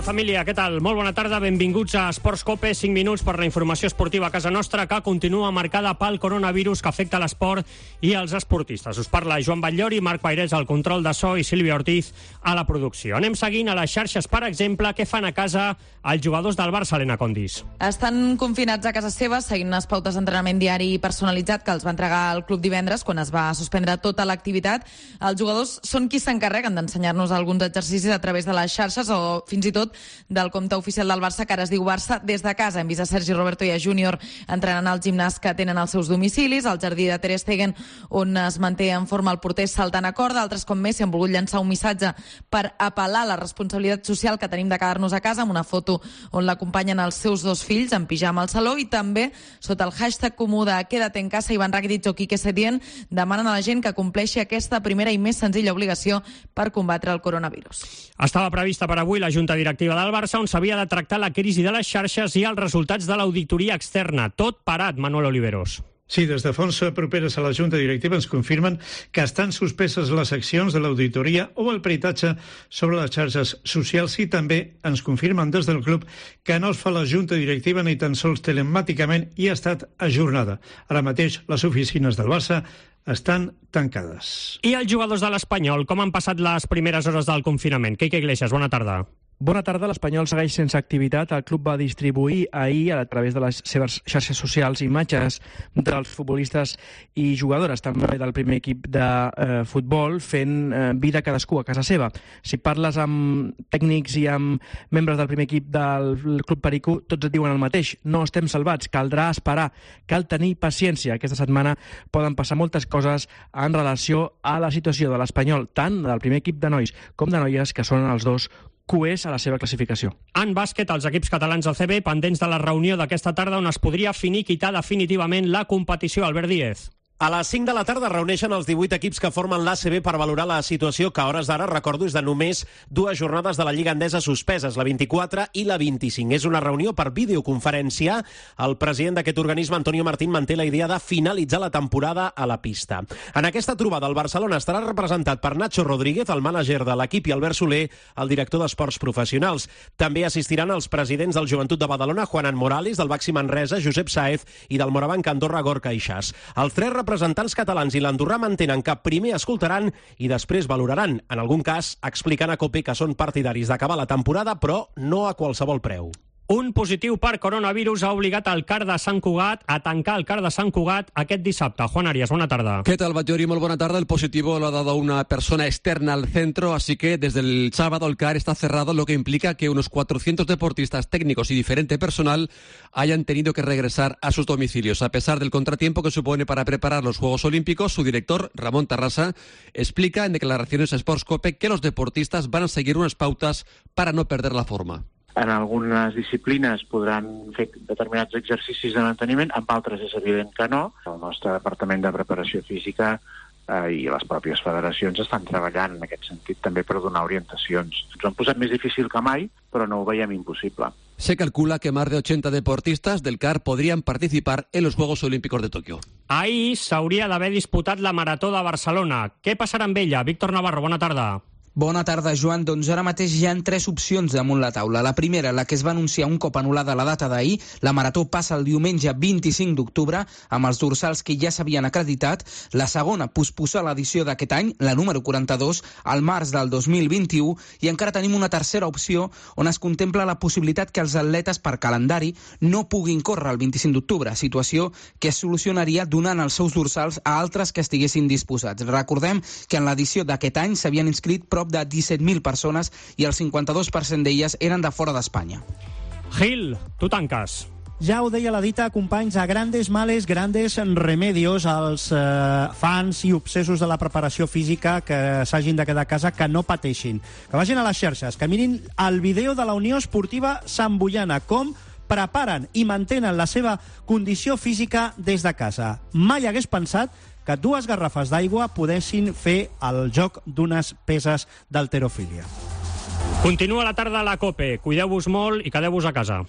família, què tal? Molt bona tarda, benvinguts a Esports Cope, 5 minuts per la informació esportiva a casa nostra, que continua marcada pel coronavirus que afecta l'esport i els esportistes. Us parla Joan Batllori, Marc Pairés al control de so i Sílvia Ortiz a la producció. Anem seguint a les xarxes, per exemple, què fan a casa els jugadors del Barça, Helena Condis. Estan confinats a casa seva, seguint unes pautes d'entrenament diari personalitzat que els va entregar el club divendres quan es va suspendre tota l'activitat. Els jugadors són qui s'encarreguen d'ensenyar-nos alguns exercicis a través de les xarxes o fins i tot del compte oficial del Barça, que ara es diu Barça des de casa. Hem vist a Sergi Roberto i a Júnior entrenant al gimnàs que tenen als seus domicilis, al jardí de Ter Stegen, on es manté en forma el porter saltant a corda. Altres, com Messi, han volgut llançar un missatge per apel·lar la responsabilitat social que tenim de quedar-nos a casa, amb una foto on l'acompanyen els seus dos fills en pijama al saló, i també sota el hashtag comú de Quédate en casa, Ivan Rakitic o Quique Setién demanen a la gent que compleixi aquesta primera i més senzilla obligació per combatre el coronavirus. Estava prevista per avui la Junta Directiva del Barça, on s'havia de tractar la crisi de les xarxes i els resultats de l'auditoria externa. Tot parat, Manuel Oliveros. Sí, des de fonts properes a la Junta Directiva ens confirmen que estan suspeses les accions de l'auditoria o el peritatge sobre les xarxes socials, i també ens confirmen des del club que no es fa la Junta Directiva ni tan sols telemàticament i ha estat ajornada. Ara mateix les oficines del Barça estan tancades. I els jugadors de l'Espanyol, com han passat les primeres hores del confinament? Quique Iglesias, bona tarda. Bona tarda. L'Espanyol segueix sense activitat. El club va distribuir ahir, a través de les seves xarxes socials, imatges dels futbolistes i jugadores, també del primer equip de futbol, fent vida cadascú a casa seva. Si parles amb tècnics i amb membres del primer equip del Club Perico, tots et diuen el mateix. No estem salvats, caldrà esperar, cal tenir paciència. Aquesta setmana poden passar moltes coses en relació a la situació de l'Espanyol, tant del primer equip de nois com de noies, que són els dos cuers a la seva classificació. En bàsquet, els equips catalans del CB pendents de la reunió d'aquesta tarda on es podria finiquitar definitivament la competició. Albert Díez. A les 5 de la tarda reuneixen els 18 equips que formen l'ACB per valorar la situació que a hores d'ara, recordo, és de només 2 jornades de la Lliga Endesa suspeses, la 24 i la 25. És una reunió per videoconferència. El president d'aquest organisme, Antonio Martín, manté la idea de finalitzar la temporada a la pista. En aquesta trobada, el Barcelona estarà representat per Nacho Rodríguez, el mànager de l'equip, i Albert Soler, el director d'Esports Professionals. També assistiran els presidents del Joventut de Badalona, Juanan Morales, del Baxi Manresa, Josep Sáez, i del Morabanc Andorra, Gorka Ixàs. Els 3 representants catalans i l'andorrà mantenen que primer escoltaran i després valoraran, en algun cas explicant a COPE que són partidaris d'acabar la temporada, però no a qualsevol preu. Un positiu per coronavirus ha obligat el CAR de Sant Cugat a tancar el CAR de Sant Cugat aquest dissabte. Juan Arias, buena tarde. ¿Qué tal, Batllori? Muy buena tarde. El positivo lo ha dado una persona externa al centro, así que desde el sábado el CAR está cerrado, lo que implica que unos 400 deportistas, técnicos y diferente personal hayan tenido que regresar a sus domicilios. A pesar del contratiempo que supone para preparar los Juegos Olímpicos, su director, Ramón Tarrasa, explica en declaraciones a Sports Cope que los deportistas van a seguir unas pautas para no perder la forma. En algunes disciplines podran fer determinats exercicis de manteniment, en altres és evident que no. El nostre departament de preparació física i les pròpies federacions estan treballant en aquest sentit també per donar orientacions. Ens ho han posat més difícil que mai, però no ho veiem impossible. Se calcula que más de 80 deportistas del CAR podrían participar en los Juegos Olímpicos de Tokio. Ahir s'hauria d'haver disputat la Marató de Barcelona. Què passarà amb ella? Víctor Navarro, bona tarda. Bona tarda, Joan. Doncs ara mateix hi ha 3 opcions damunt la taula. La primera, la que es va anunciar un cop anul·lada la data d'ahir. La Marató passa el diumenge 25 d'octubre, amb els dorsals que ja s'havien acreditat. La segona, posposar l'edició d'aquest any, la número 42, al març del 2021. I encara tenim una tercera opció, on es contempla la possibilitat que els atletes per calendari no puguin córrer el 25 d'octubre, situació que es solucionaria donant els seus dorsals a altres que estiguessin disposats. Recordem que en l'edició d'aquest any s'havien inscrit prop de 17.000 persones i el 52% d'elles eren de fora d'Espanya. Gil, tu tanques. Ja ho deia la dita, companys, a grandes males, grandes remedios als fans i obsessos de la preparació física que s'hagin de quedar a casa, que no pateixin. Que vagin a les xarxes, que mirin el vídeo de la Unió Esportiva Sant Boiana, com preparen i mantenen la seva condició física des de casa. Mai hagués pensat que 2 garrafes d'aigua podessin fer el joc d'unes peses d'halterofília. Continua la tarda a la COPE. Cuideu-vos molt i quedeu-vos a casa.